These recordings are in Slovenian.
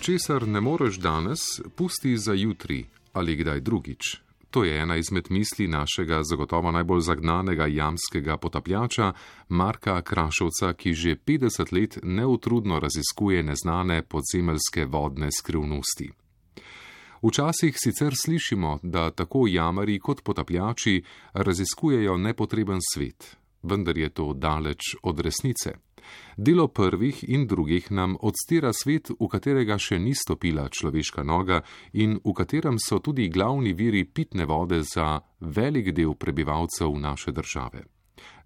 Česar ne moreš danes, pusti za jutri ali kdaj drugič. To je ena izmed misli našega zagotovo najbolj zagnanega jamskega potapljača Marka Krašovca, ki že 50 let neutrudno raziskuje neznane podzemeljske vodne skrivnosti. Včasih sicer slišimo, da tako jamarji kot potapljači raziskujejo nepotreben svet, vendar je to daleč od resnice. Delo prvih in drugih nam odstira svet, v katerega še ni stopila človeška noga in v katerem so tudi glavni viri pitne vode za velik del prebivalcev naše države.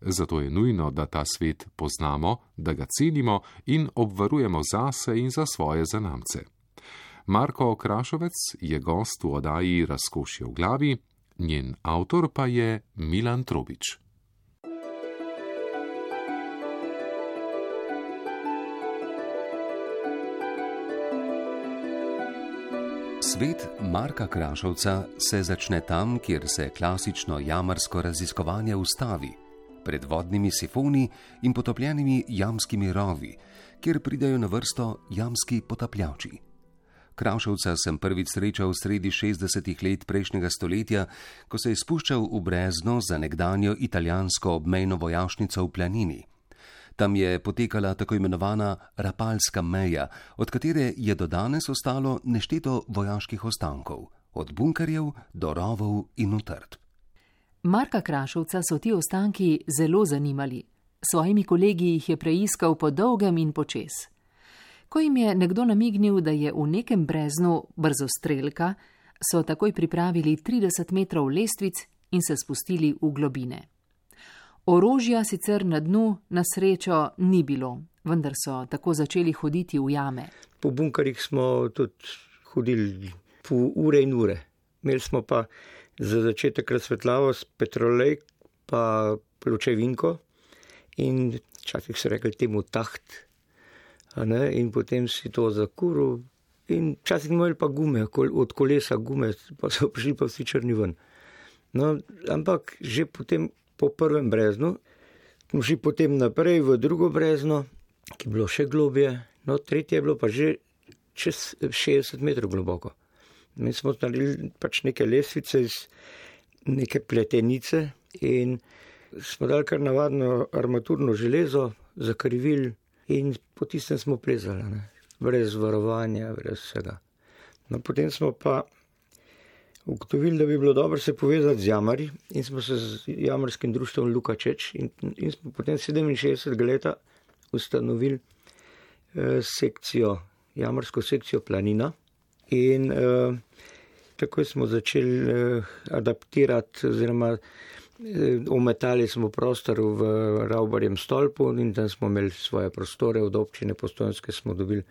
Zato je nujno, da ta svet poznamo, da ga cenimo in obvarujemo zase in za svoje zanamce. Marko Krašovec je gost v oddaji Razkošje v glavi, njen avtor pa je Milan Trobič. Svet Marka Krašovca se začne tam, kjer se klasično jamarsko raziskovanje ustavi, pred vodnimi sifoni in potopljenimi jamskimi rovi, kjer pridejo na vrsto jamski potapljači. Krašovca sem prvič srečal sredi 60. let prejšnjega stoletja, ko se je spuščal v brezno za nekdanjo italijansko obmejno vojašnico v Planini. Tam je potekala tako imenovana Rapalska meja, od katere je do danes ostalo nešteto vojaških ostankov, od bunkerjev do rovov in utrdb. Marka Krašovca so ti ostanki zelo zanimali. Svojimi kolegi jih je preiskal po dolgem in počez. Ko jim je nekdo namignil, da je v nekem breznu brzostrelka, so takoj pripravili 30 metrov lestvic in se spustili v globine. Orožja sicer na dnu na srečo ni bilo, vendar so tako začeli hoditi v jame. Po bunkerjih smo tudi hodili po ure in ure. Imeli smo pa za začetek razsvetljavo s petrolej pa pločevinko in včasih so rekli temu taht, in potem si to zakuril in včasih imeli pa gume, od kolesa gume, pa so prišli pa vsi črni ven. No, ampak že potem po prvem breznu, smo šli potem naprej v drugo brezno, ki je bilo še globje, no tretje je bilo pa že čez 60 metrov globoko. Mi smo naredili pač neke lestvice iz neke pletenice in smo dali kar navadno armaturno železo, zakrivili in po tistem smo plezali, brez varovanja, brez vsega. No, potem smo pa ugotovili, da bi bilo dobro se povezati z jamarji in smo se z jamarskim društvom Luka Čeč in smo potem 67 leta ustanovili jamarsko sekcijo Planina in takoj smo začeli adaptirati oziroma ometali smo prostor v Ravbarjem stolpu in tam smo imeli svoje prostore, od občine Postojnske smo dobili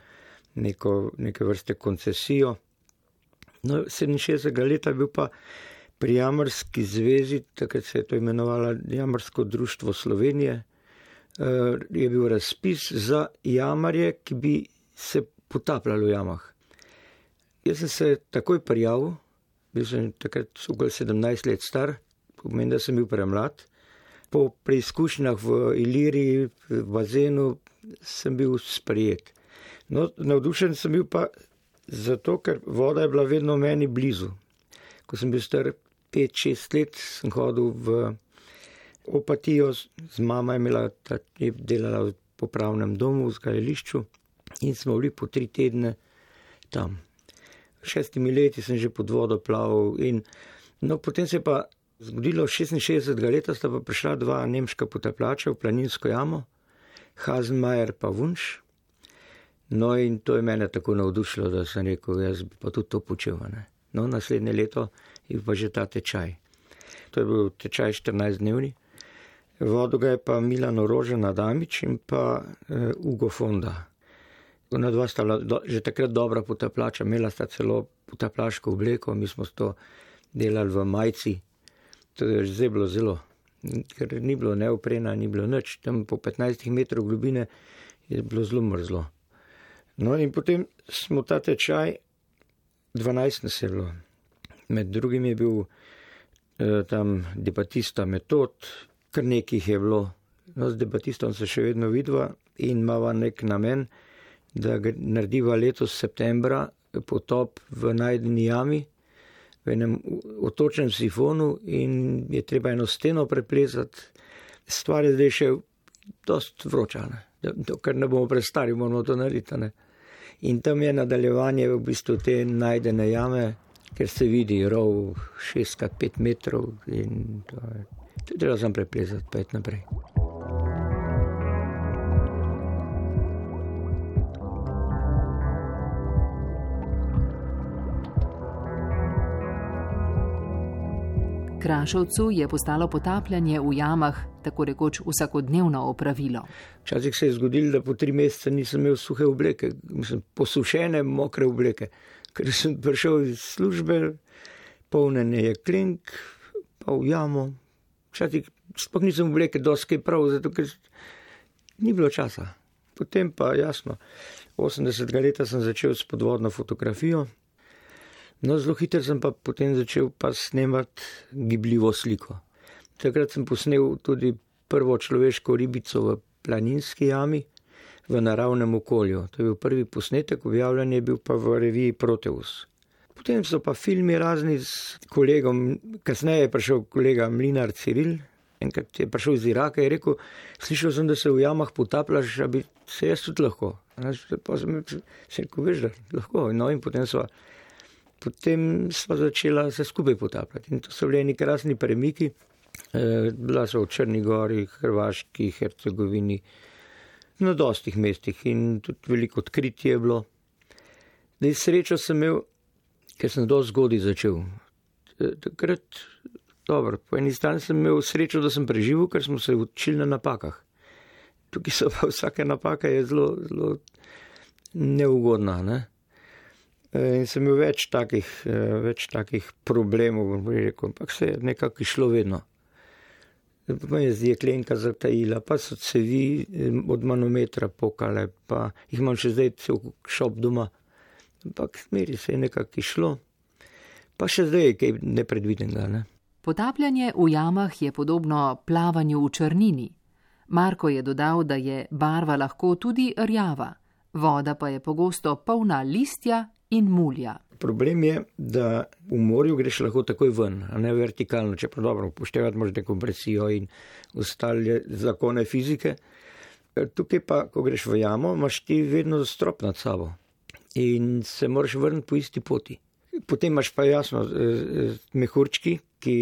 neke vrste koncesijo. No, 67. leta je bil pa pri Jamarski zvezi, takrat se je to imenovalo Jamarsko društvo Slovenije, je bil razpis za jamarje, ki bi se potapljali v jamah. Jaz sem se takoj prijavil, bil sem takrat okoli 17 let star, pomeni, da sem bil premlad. Po preizkušnjah v Iliriji, v bazenu, sem bil sprejet. No, navdušen sem bil pa zato, ker voda je bila vedno meni blizu. Ko sem bil star 5-6 let, sem hodil v Opatijo, z mama je delala v popravnem domu v Zgajališču in smo bili po 3 tedne tam. 6 leti sem že pod vodo plaval in potem se je pa zgodilo 66. leta, sta pa prišla 2 nemška potapljača v planinsko jamo, Hasenmajer pa Wunsch. No in to je mene tako navdušilo, da sem rekel, jaz bi pa tudi to počel. No, naslednje leto je pa že ta tečaj. To je bil tečaj 14-dnevni. Vodil ga je pa Milan Orožen Adamič in pa Ugo Fonda. Ona dva sta že takrat dobra potapljača, imela sta celo potapljaško obleko, mi smo to delali v majci. To je že bilo zelo, ker ni bilo neoprena, ni bilo nič. Tam po 15 metrov globine je bilo zelo mrzlo. No in potem smo ta tečaj, 12 nas je bilo. Med drugim je bil tam debatista Metod, kar nekih je bilo. No, z debatistom se še vedno vidva in imava nek namen, da narediva letos septembra potop v najdeni jami, v enem otočnem sifonu in je treba eno steno preplezati. Stvar je zdaj še dost vroča, ker ne bomo prestari, moramo to narediti. Ne? In tam je nadaljevanje v bistvu te najdene jame, ker se vidi rov 6x5 metrov in to je treba sam preplezati, pa iti naprej. Krašovcu je postalo potapljanje v jamah tako rekoč vsakodnevno opravilo. Včasih se je zgodilo, da po 3 mesece nisem imel suhe obleke, posušene, mokre obleke, ker sem prišel iz službe, polnen je klenk, pa v jamo. Včasih sploh nisem obleke dosti prav, zato ker ni bilo časa. Potem pa jasno, 80. leta sem začel s podvodno fotografijo. No, zelo hitro sem pa potem začel pa snemati gibljivo sliko. Takrat sem posnel tudi prvo človeško ribico v planinski jami v naravnem okolju. To je bil prvi posnetek, objavljen je bil pa v reviji Proteus. Potem so pa filmi razni s kolegom, kasneje je prišel kolega Mlinar Ciril, enkrat je prišel iz Iraka in je rekel, slišal sem, da se v jamah potapljaš, da bi se jaz tudi lahko. Pa sem rekel, veš, da lahko. No, in Potem sva začela se skupaj potapljati. In to so bili neki krasni premiki. Bila so v Črni gori, Hrvaški, Hercegovini, na dostih mestih in tudi veliko odkritje je bilo. Zdaj srečo sem imel, ker sem dosti zgodaj začel. Takrat, dobro, po eni strani sem imel srečo, da sem preživel, ker smo se učili na napakah. Tukaj so pa vsaka napaka je zelo, zelo neugodna, ne? In sem imel več takih problemov, bom rekel, ampak se je nekako išlo vedno. Pa je jeklenka zatajila, pa so cevi od manometra pokale, pa jih imam še zdaj cel šop doma. Ampak smeri se je nekako išlo, pa še zdaj je kaj nepredvidenega. Ne? Potapljanje v jamah je podobno plavanju v črnini. Marko je dodal, da je barva lahko tudi rjava, voda pa je pogosto polna listja in mulja. Problem je, da v morju greš lahko takoj ven, a ne vertikalno, če pa dobro upoštevati moraš dekompresijo in ostale zakone fizike. Tukaj pa, ko greš v jamo, imaš ti vedno strop nad sabo in se moraš vrniti po isti poti. Potem imaš pa jasno mehurčki, ki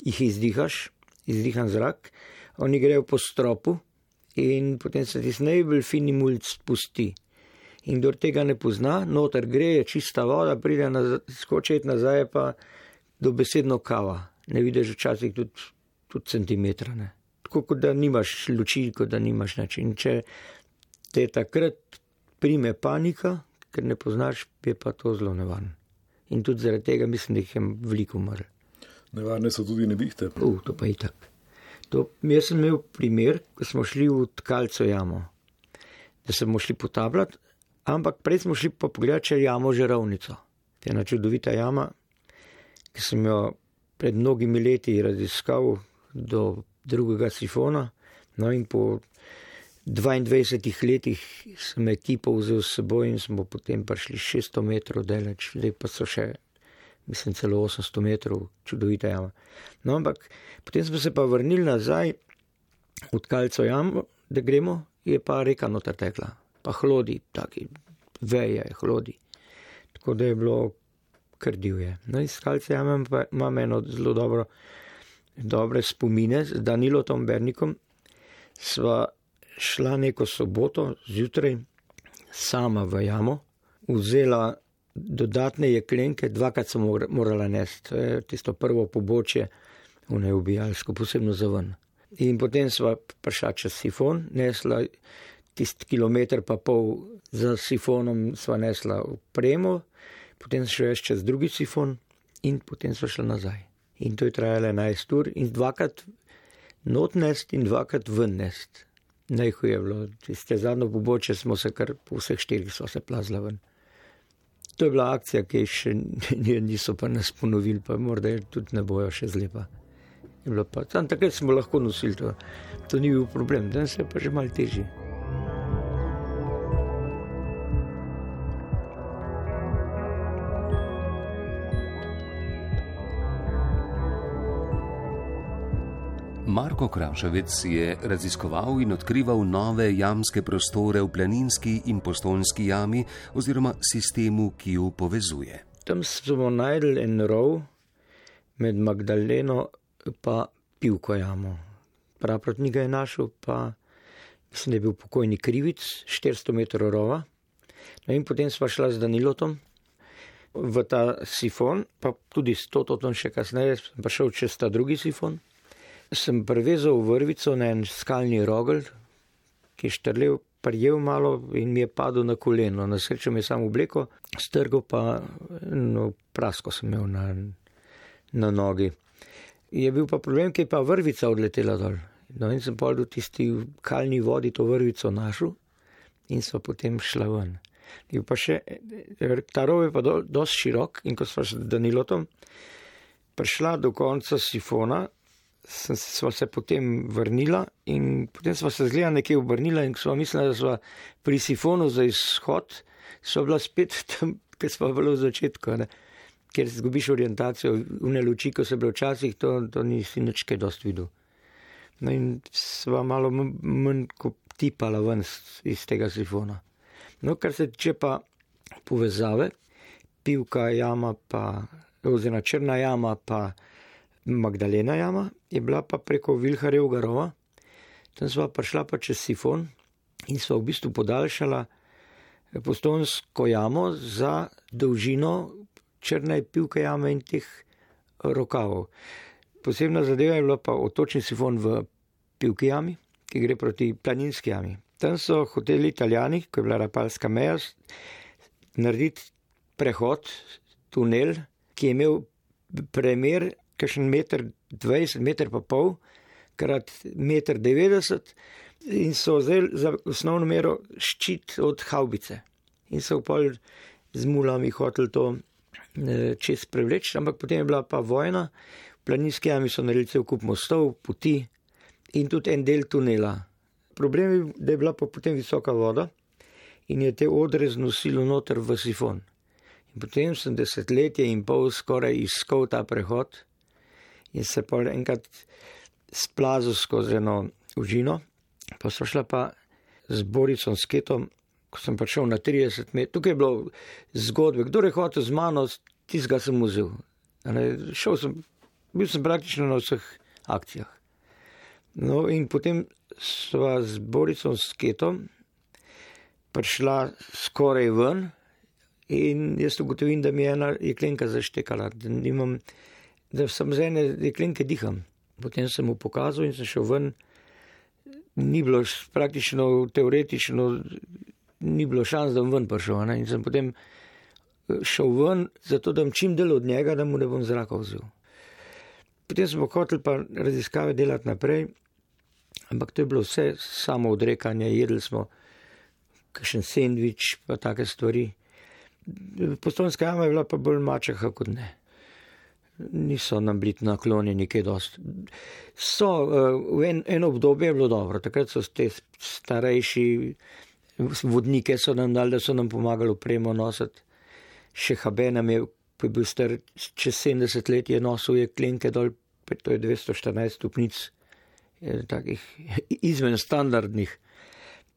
jih izdihan zrak, oni grejo po stropu in potem se ti najbolj fini mulj spusti. In kdor tega ne pozna, noter gre, je čista voda, pride skočiti nazaj, pa dobesedno kava. Ne vidiš včasih tudi centimetra. Ne. Tako kot da nimaš luči, kot da nimaš nič. In če te takrat prime panika, ker ne poznaš, je pa to zelo nevarno. In tudi zaradi tega mislim, da jih je veliko umrl. Nevarne so tudi nevihte. To pa je tako. Jaz sem imel primer, ko smo šli v Tkalco jamo, da smo šli potapljati, ampak prej smo šli pa pogledati, če jamo Žerovnico. To je ena čudovita jama, ki sem jo pred mnogimi leti raziskal do drugega sifona. No in po 22 letih sem ekipo vzel s seboj in smo potem prišli 600 metrov daleč. Zdaj pa so še, mislim, celo 800 metrov, čudovita jama. No, ampak potem smo se pa vrnili nazaj v Tkalco jamo, da gremo, je pa reka noter tekla. Pa hlodi, taki veje hlodi. Tako da je bilo kar divje. No, iz Tkalce jame imam eno zelo dobre spomine z Danilotom Bernikom. Sva šla neko soboto zjutraj sama v jamo, vzela dodatne jeklenke, 2krat sem morala nesti. To je tisto prvo pobočje v neubijalsko, posebno za ven. In potem sva prišla čez sifon, nesla tisti kilometer pa pol za sifonom sva nesla opremo, potem šla čez drugi sifon in potem sva šla nazaj. In to je trajalo 11 ur in 2krat not nest in 2krat ven nest. Najhuje je bilo, tiste zadnjo pobočje smo se kar po vseh 4 so se plazla ven. To je bila akcija, ki še niso pa nas ponovili, pa morda tudi ne bojo še zlepa. Takrat smo lahko nosili to ni bil problem, danes je pa že malo težje. Marko Kraševec je raziskoval in odkrival nove jamske prostore v Planinski in Postojnski jami oziroma sistemu, ki ju povezuje. Tam smo najdli en rov med Magdaleno pa Pivko jamo. Praprotnik ga je našel, pa mislim, da je bil pokojni Krivic, 400 metrov rova. No in potem sva šla z Danilotom v ta sifon, pa tudi s Tototom še kasneje, sem pa šel čez ta drugi sifon. Sem privezal vrvico na en skalni rogel, ki je štrlel, prijel malo in mi je padel na koleno. Na srečo mi je samo obleko, strgal pa prasko sem imel na nogi. Je bil pa problem, ki je pa vrvica odletela dol. No in sem pa v tisti kalni vodi to vrvico našel in so potem šla ven. In pa še, ta rov je pa dosti širok in ko sva s Danilotom prišla do konca sifona, sva se potem vrnila in potem sva se zgleda nekje obrnila in sva mislila, da sva pri sifonu za izhod, sva bila spet tam, ker sva bila v začetku, ne? Ker zgubiš orientacijo, une luči, ko se bila včasih, to nisi nič kaj dosti videl. No in sva malo manj ko tipala ven iz tega sifona. No, kar se tiče pa povezave, Pivka jama pa, oziroma Črna jama pa Magdalena jama, je bila pa preko Vilharjevega rova. Tam sva prišla pa čez sifon in sva v bistvu podaljšala Postojnsko jamo za dolžino Črne Pivke jame in teh rokavov. Posebna zadeva je bila pa otočni sifon v Pivki jami, ki gre proti Planinski jami. Tam so hoteli Italijani, ko je bila Rapalska meja, narediti prehod, tunel, ki je imel premer kakšen 1,20 m, 1,5 m, krat 1,90 m in so vzeli za osnovno mero ščit od havbice. In so pol z mulami hoteli to čez prevleči, ampak potem je bila pa vojna, v Planinski jami so naredili cel kup mostov, poti in tudi en del tunela. Problem je, da je bila pa potem visoka voda in je te odre znosilo noter v sifon. In potem sem 10 let in pol skoraj iskal ta prehod in se pa enkrat splazil skozi eno užino. Pa so šla pa z Boricom Sketom, ko sem prišel na 30 metrov. Tukaj je bilo zgodbe, kdo je hotel z mano, tistega sem vzel. Bil sem praktično na vseh akcijah. No in potem sva z Boricom Sketom prišla skoraj ven in jaz ugotovim, da mi je ena jeklenka zaštekala, da sem z ene jeklenke diham. Potem sem mu pokazal in sem šel ven. Ni bilo praktično, teoretično, ni bilo šans, da bom ven prišel. Ne? In sem potem šel ven, zato da bom čim del od njega, da mu ne bom zraka vzel. Potem smo hoteli pa raziskave delati naprej, ampak to je bilo vse samo odrekanje, jedli smo kakšen sendvič, pa take stvari. Postojnska jama je bila pa bolj mačeha kot ne. Niso nam bili naklonjeni kaj dosti. V eno obdobje je bilo dobro, takrat so te starejši vodnike so nam dali, da so nam pomagali opremo nositi. Še Habe nam je, ko je bil star čez 70 let, je nosil jeklenke dol, to je 214 stopnic, takih izven standardnih.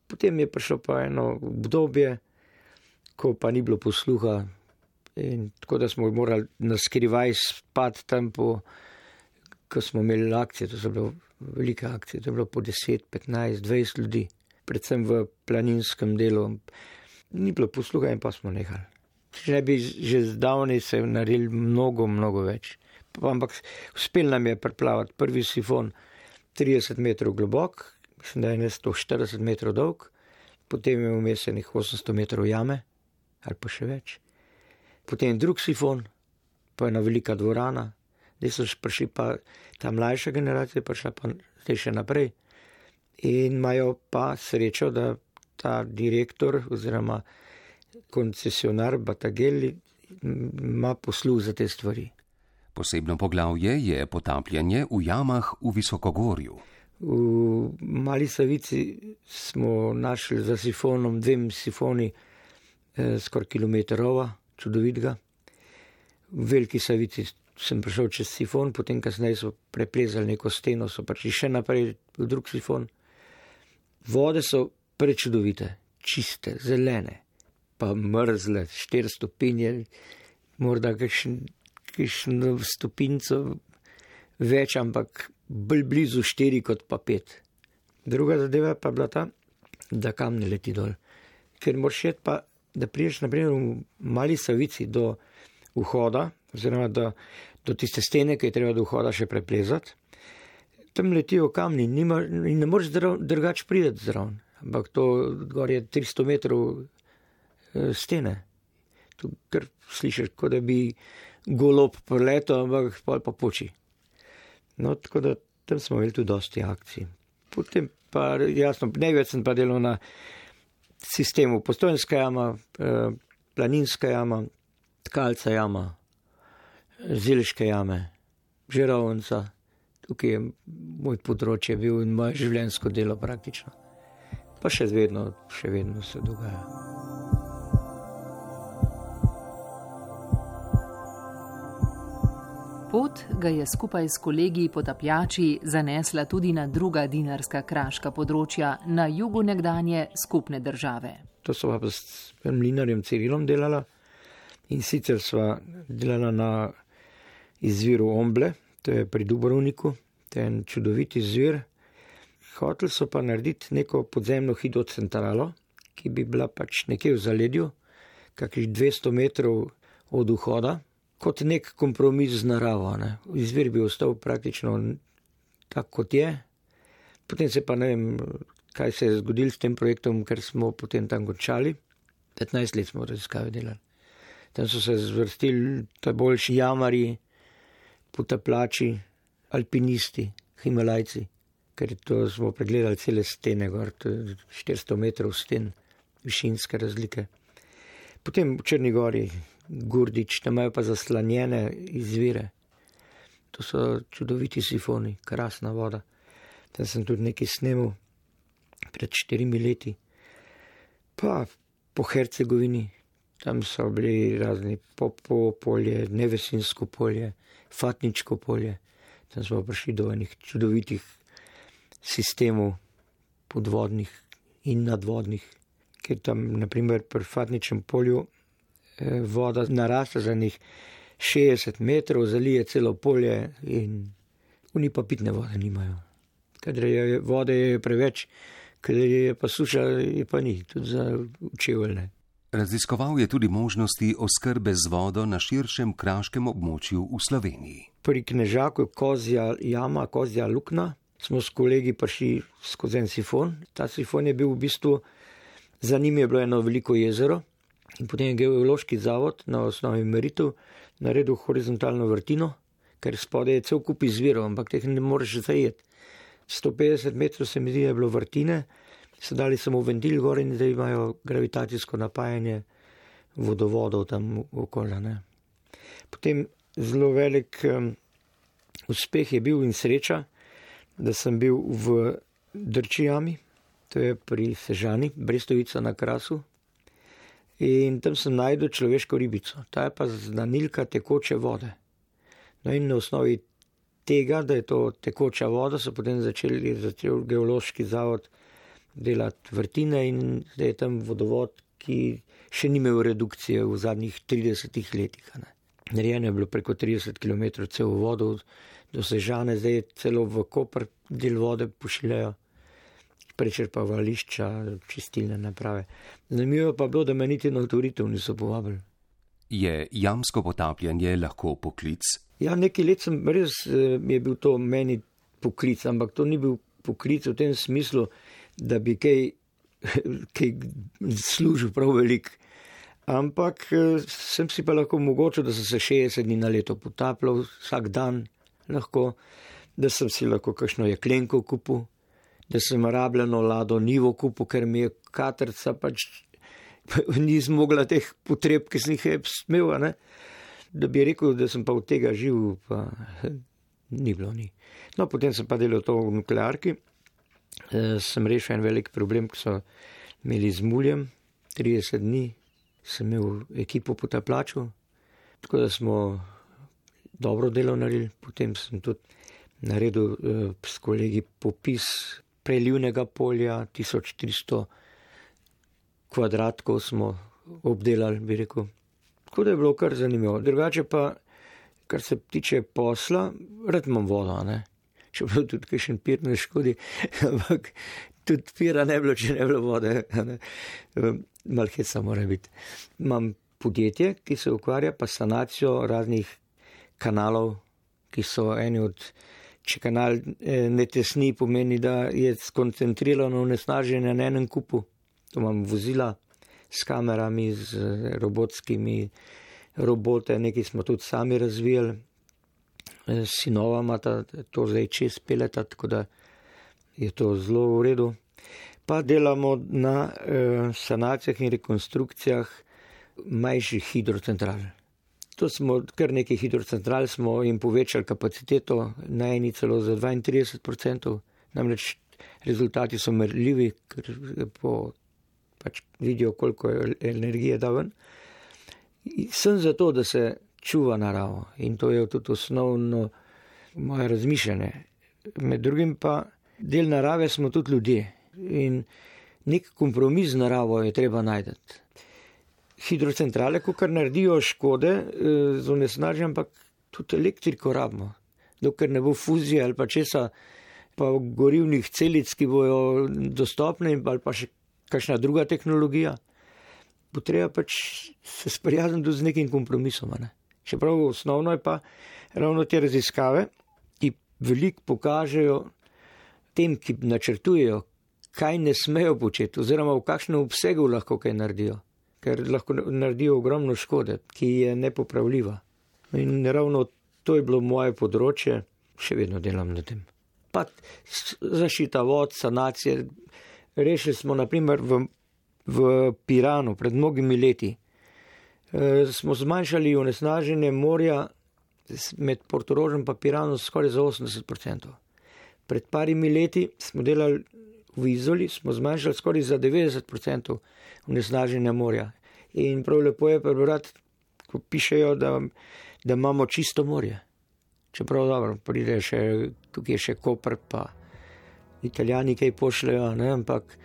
Potem je prišlo pa eno obdobje, ko pa ni bilo posluha, in tako da smo morali naskrivaj spati tam, ko smo imeli akcije, to so bile velike akcije, to je bilo po 10, 15, 20 ljudi, predvsem v planinskem delu. Ni bilo posluha in pa smo nehali. Če ne bi že zdavnaj se naredili mnogo, mnogo več. Ampak uspel nam je preplavati prvi sifon 30 metrov globok, mislim, da je 140 metrov dolg, potem je vmes enih 800 metrov jame, ali pa še več. Potem drug sifon, pa ena velika dvorana, zdaj so prišli pa ta mlajša generacija, prišla pa zdaj še naprej. In imajo pa srečo, da ta direktor oziroma koncesionar Batagelli ima posluh za te stvari. Posebno poglavje je potapljanje v jamah v Visokogorju. V Mali Savici smo našli za sifonom 2 sifoni skoraj kilometrova, čudovitega. V Veliki Savici sem prišel čez sifon, potem kasneje so preplezali neko steno, so prišli še naprej v drug sifon. Vode so prečudovite, čiste, zelene, pa mrzle, 4 stopinje, morda kakšno stopinco več, ampak bolj blizu 4 kot pa 5. Druga zadeva pa bila ta, da kam ne leti dol. Ker moraš jeti pa, da priješ naprimer v Mali Savici do vhoda, oziroma do tiste stene, ki je treba do vhoda še preplezati. Tam letijo kamni in ne moreš drugače priti zraven. Ampak to gor je 300 metrov stene. Tu kar slišiš, kot da bi golob preletel, ampak pa poči. No, tako da tam smo imeli tudi dosti akcij. Potem pa jasno, največ sem pa delal na sistemu Postojnska jama, Planinska jama, Tkalca jama, Zeliške jame, Žerovnica. Tukaj je moj področje bil in moje življenjsko delo praktično. Pa še vedno se dogaja. Pot ga je skupaj s kolegi potapljači zanesla tudi na druga dinarska kraška področja na jugu nekdanje skupne države. To sva pa s mlinarjem Cirilom delala in sicer sva delala na izviru Omble, to je pri Dubrovniku, to je en čudovit izvir. Hoteli so pa narediti neko podzemno hidrocentralo, ki bi bila pač nekje v zaledju, kakih 200 metrov od vhoda, kot nek kompromis z naravo. Ne. Izvir bi ostal praktično tak, kot je. Potem se pa ne vem, kaj se je zgodilo s tem projektom, ker smo potem tam končali. 15 let smo raziskave delali. Tam so se zvrstili ta boljši jamarji, potapljači, alpinisti, himalajci, ker to smo pregledali cele stene gor, to je 400 metrov sten, višinske razlike. Potem v Črni gori, Gurdič, tam imajo pa zaslanjene izvire. To so čudoviti sifoni, krasna voda. Tam sem tudi nekaj snemal pred 4 leti. Pa po Hercegovini, tam so bili razni Popovo polje, Nevesinsko polje, Fatničko polje. Tam smo prišli do enih čudovitih sistemov podvodnih in nadvodnih, ker tam, naprimer, pri Fatničnem polju voda naraste za njih 60 metrov, zalije celo polje in oni pa pitne vode nimajo. Kadar je vode je preveč, kadar je pa suša, je pa ni, tudi za čeveljne. Raziskoval je tudi možnosti oskrbe z vodo na širšem kraškem območju v Sloveniji. Pri Knežaku Kozja jama, Kozja lukna, smo s kolegi prišli skozi en sifon. Ta sifon je bil v bistvu, za njim je bilo eno veliko jezero in potem je Geološki zavod na osnovi meritev naredil horizontalno vrtino, ker spodaj je cel kup izvirov, ampak teh ne moreš zajeti. 150 metrov se mi zdi, je bilo vrtine, so dali samo ventil gor in zdaj imajo gravitacijsko napajanje vodovodov tam okolja. Ne. Potem zelo velik uspeh je bil in sreča, da sem bil v Drči jami, to je pri Sežani, Brestovica na Krasu. In tam sem najdel človeško ribico. Ta je pa znanilka tekoče vode. No in na osnovi tega, da je to tekoča voda, so potem začel Geološki zavod delati vrtine in zdaj je tam vodovod, ki še ni imel redukcije v zadnjih 30 letih. Narejeno je bilo preko 30 km cel vodo do Sežane, zdaj je celo v Koper del vode pošiljajo. Prečrpavališča, čistilne naprave. Zanimivo pa bilo, da me niti na avtoritev niso povabili. Je jamsko potapljanje lahko poklic? Ja, nekaj let sem res je bil to meni poklic, ampak to ni bil poklic v tem smislu, da bi kaj služil prav velik. Ampak sem si pa lahko omogočil, da sem se 60 dni na leto potapljal, vsak dan lahko, da sem si lahko kakšno jeklenko kupil, da sem rabljeno lado nivo kupil, ker mi je katrca pač ni zmogla teh potreb, ki sem jih smel, ne? Da bi rekel, da sem pa od tega živ, pa ni bilo ni. No, potem sem pa delal to v nuklearki, sem rešil en velik problem, ki so imeli z muljem, 30 dni sem imel ekipo potapljačev, tako da smo dobro delo naredili. Potem sem tudi naredil s kolegi popis prelivnega polja, 1300 kvadratkov smo obdelali, bi rekel. Tako da je bilo kar zanimivo. Drugače pa, kar se tiče posla, rad imam vodo, ne. Čeprav tudi kakšen pir ne škodi, ampak tudi pira ne bilo, če ne bilo vode. Malo heca mora biti. Imam podjetje, ki se ukvarja pa sanacijo raznih kanalov, ki so eni od, če kanal ne tesni, pomeni, da je skoncentrirano onesnaženje na enem kupu. To imam vozila s kamerami, z robotskimi robote, nekaj smo tudi sami razvijali. Sinova imata to zdaj čez peleta, tako da je to zelo v redu. Pa delamo na sanacijah in rekonstrukcijah manjših hidrocentral. To smo, kar nekaj hidrocentral smo jim povečali kapaciteto, na eni celo za 32%, namreč rezultati so merljivi, ker pač vidijo, koliko energije da ven. Sem zato, da se čuva naravo in to je tudi osnovno moje razmišljanje. Med drugim pa del narave smo tudi ljudje in nek kompromis z naravo je treba najti. Hidrocentrale, ko kar naredijo škode z onesnaženjem, ampak tudi elektriko rabimo. Dokler ne bo fuzija ali pa česa, pa gorivnih celic, ki bojo dostopne ali pa še kakšna druga tehnologija, bo treba pač se sprijazniti z nekim kompromisom. Ne? Čeprav osnovno je pa ravno te raziskave, ki veliko pokažejo tem, ki načrtujejo, kaj ne smejo početi oziroma v kakšnem obsegu lahko kaj naredijo, ker lahko naredijo ogromno škode, ki je nepopravljiva. In ravno to je bilo moje področje, še vedno delam na tem. Pa zaščita vod, sanacije. Rešili smo naprimer v Piranu pred mnogimi leti. Smo zmanjšali onesnaženje morja med Portorožem pa Piranom skoraj za 80%. Pred parimi leti smo delali v Izoli, smo zmanjšali skoraj za 90% onesnaženja morja. In prav lepo je prebrati, ko pišejo, da imamo čisto morje. Čeprav dobro, pride še, tukaj je še Koper, pa Italijani kaj pošljajo, ne? Ampak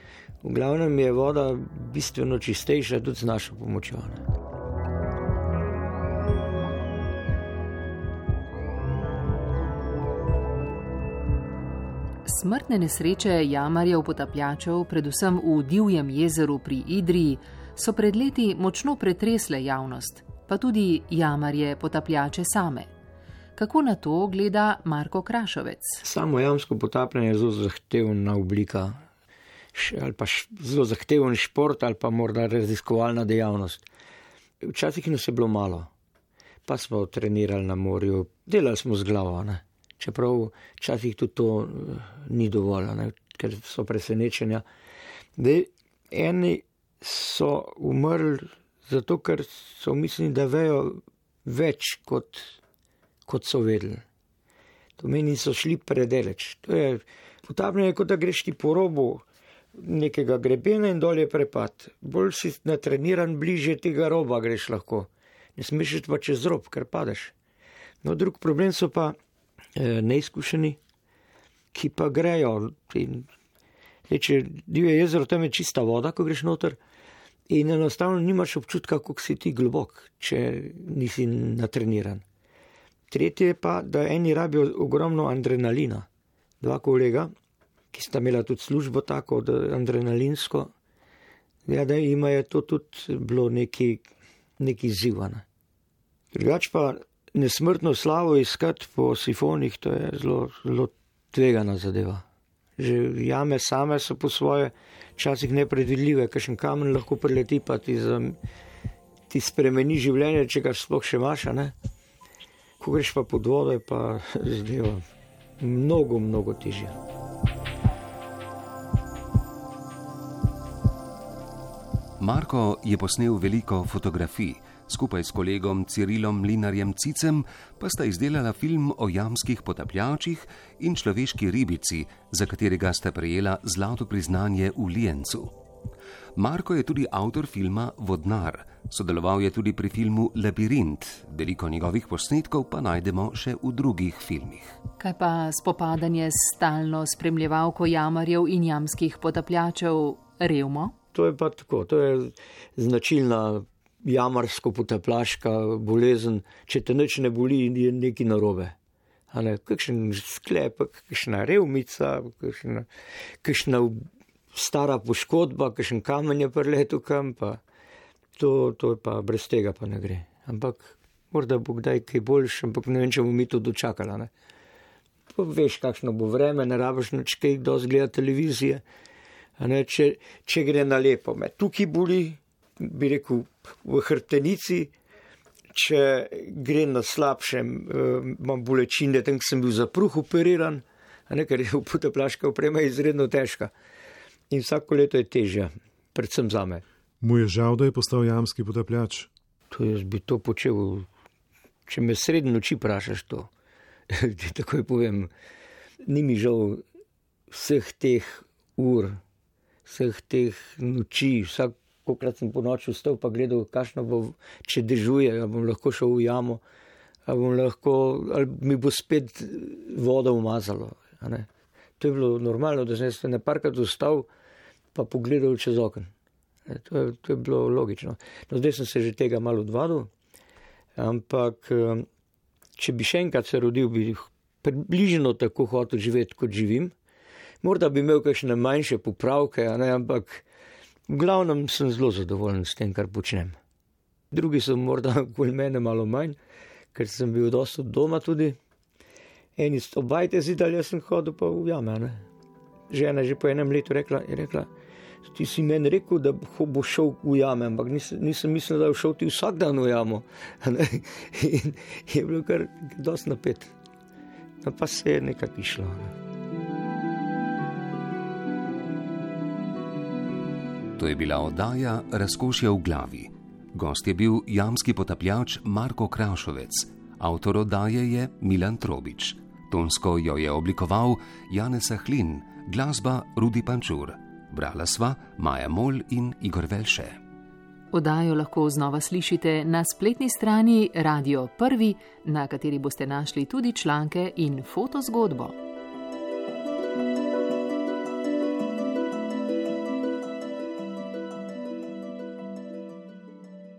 v glavnem je voda bistveno čistejša tudi z našo pomočjo. Ne? Smrtne nesreče jamarjev potapljačev, predvsem v Divjem jezeru pri Idriji, so pred leti močno pretresle javnost, pa tudi jamarje potapljače same. Kako na to gleda Marko Krašovec? Samo jamsko potapljanje je zelo zahtevna oblika, ali pa zelo zahteven šport, ali pa morda raziskovalna dejavnost. Včasih nas je bilo malo, pa smo trenirali na morju, delali smo z glavo, ne? Čeprav včasih tudi to ni dovolj, ne? Ker so presenečenja. Eni so umrli zato, ker so mislili, da vejo več, kot so vedeli. To meni so šli predaleč. To je potapljanje, kot da greš ti po robu nekega grebena in dol je prepad. Bolj si natreniran, bliže tega roba greš lahko. Ne smeš iti pa čez rob, ker padeš. No, drug problem so pa neizkušeni, ki pa grejo. Če Divje jezero, tam je čista voda, ko greš noter in enostavno nimaš občutka, kako si ti globok, če nisi natreniran. Tretje je pa, da eni rabijo ogromno adrenalina. Dva kolega, ki sta imela tudi službo tako, adrenalinsko, da jima je to tudi bilo neki zivane. Drugač pa nesmrtno slavo iskati po sifonih, to je zelo tvegana zadeva. Že jame same so po svoje včasih nepredvidljive, kakšen kamen lahko prileti, pa ti spremeni življenje, če ga sploh še imaš, ne? Ko greš pa pod vodo, je pa zadeva mnogo, mnogo težja. Marko je posnel veliko fotografij. Skupaj s kolegom Cirilom Mlinarjem Cicem pa sta izdelala film o jamskih potapljačih in človeški ribici, za katerega sta prejela zlato priznanje v Lienzu. Marko je tudi avtor filma Vodnar. Sodeloval je tudi pri filmu Labirint. Veliko njegovih posnetkov pa najdemo še v drugih filmih. Kaj pa spopadanje s stalno spremljevalko jamarjev in jamskih potapljačev revmo? To je pa tako, to je značilna jamarsko-potapljaška bolezen. Če te nič ne boli, je nekaj narobe. Kakšen sklepek, kakšna revmica, kakšna stara poškodba, kakšen kamen je preletel kam, pa to je pa brez tega pa ne gre. Ampak morda bo kdaj kaj boljš, ampak ne vem, če bomo mi to dočakala. Veš, kakšno bo vreme, ne rabiš nič kaj dosti gledati televizije. Če gre na lepo, me tukaj boli, bi rekel, v hrbtenici. Če gre na slabšem, imam bolečine, tam sem bil za pruh operiran, ker je potapljaška oprema izredno težka. In vsako leto je težja, predvsem zame. Mu je žal, da je postal jamski potapljač? To jaz bi to počel, če me sredi noči vprašaš to. Takoj povem, ni mi žal vseh teh ur, vseh teh noči, kolikrat sem po noči vstal pa gledal, kakšno bo, če dežuje, ali bom lahko šel v jamo, ali mi bo spet voda umazalo. To je bilo normalno, da sem se neparkrat vstal pa pogledal čez okno. To je bilo logično. No, zdaj sem se že tega malo odvadil, ampak če bi še enkrat se rodil, bi približno tako hotel živeti, kot živim. Morda bi imel kakšne manjše popravke, ampak v glavnem sem zelo zadovoljen s tem, kar počnem. Drugi so morda okoli mene malo manj, ker sem bil dosti od doma tudi. Eni obajte zidali, jaz sem hodil pa v jame. Žena že po enem letu je rekla, ti si meni rekel, da bo šel v jame, ampak nisem mislil, da bo šel ti vsak dan v jamo. In je bilo kar dosti napet. No, pa se je nekako išlo. To je bila oddaja Razkošje v glavi. Gost je bil jamski potapljač Marko Krašovec. Avtor oddaje je Milan Trobič. Tonsko jo je oblikoval Janez Ahlin, glasba Rudi Pančur. Brala sva Maja Mol in Igor Velše. Oddajo lahko znova slišite na spletni strani Radio 1, na kateri boste našli tudi članke in fotozgodbo.